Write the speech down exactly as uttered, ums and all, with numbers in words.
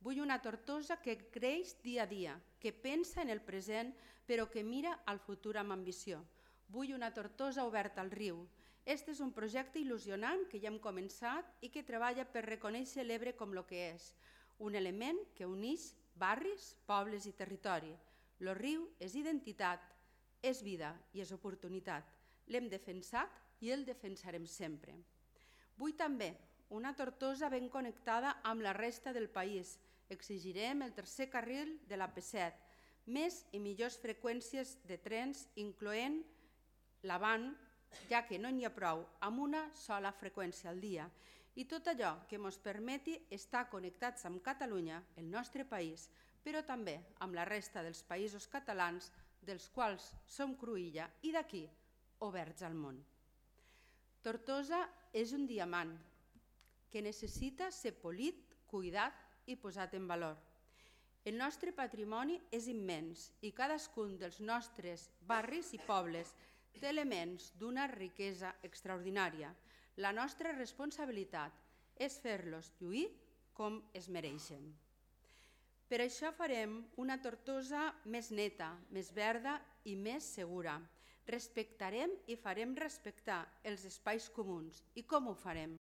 Vull una Tortosa que creix dia a dia, que pensa en el present però que mira al futur amb ambició. Vull una Tortosa oberta al riu. Este és un projecte il·lusionant que ja hem començat i que treballa per reconèixer l'Ebre com el que és, un element que uneix barris, pobles i territori. El riu és identitat, és vida i és oportunitat. L'hem defensat i el defensarem sempre. Vull també una Tortosa ben connectada amb la resta del país. Exigirem el tercer carril de l'A P set, més i millors freqüències de trens, incloent l'avant, ja que no n'hi ha prou amb una sola freqüència al dia, i tot allò que ens permeti estar connectats amb Catalunya, el nostre país, però també amb la resta dels països catalans, dels quals som cruïlla i d'aquí oberts al món. Tortosa és un diamant que necessita ser polit, cuidat i posat en valor. El nostre patrimoni és immens i cadascun dels nostres barris i pobles té elements d'una riquesa extraordinària. La nostra responsabilitat és fer-los lluir com es mereixen. Per això farem una Tortosa més neta, més verda i més segura. Respectarem i farem respectar els espais comuns. I com ho farem?